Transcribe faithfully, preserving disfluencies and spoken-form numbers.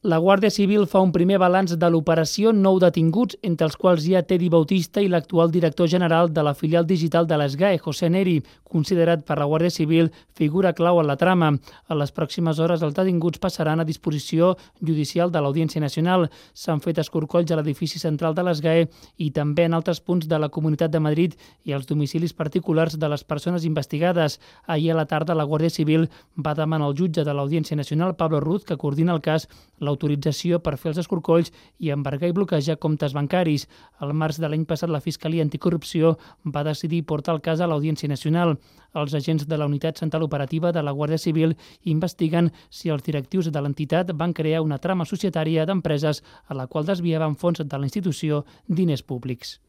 La Guàrdia Civil fa un primer balanç de l'operació Nou detinguts, entre els quals hi ha Tedi Bautista i l'actual director general de la filial digital de l'S G A E, José Neri, considerat per la Guàrdia Civil figura clau en la trama. A les pròximes hores els detinguts passaran a disposició judicial de l'Audiència Nacional. S'han fet escorcolls a l'edifici central de l'S G A E i també en altres punts de la Comunitat de Madrid i als domicilis particulars de les persones investigades. Ahir a la tarda la Guàrdia Civil va demanar al jutge de l'Audiència Nacional, Pablo Ruz, que coordina el cas, l'autorització per fer els escorcolls i embargar i bloquejar comptes bancaris. Al març de l'any passat, la Fiscalia Anticorrupció va decidir portar el cas a l'Audiència Nacional. Els agents de la Unitat Central Operativa de la Guàrdia Civil investiguen si els directius de l'entitat van crear una trama societària d'empreses a la qual desviaven fons de la institució diners públics.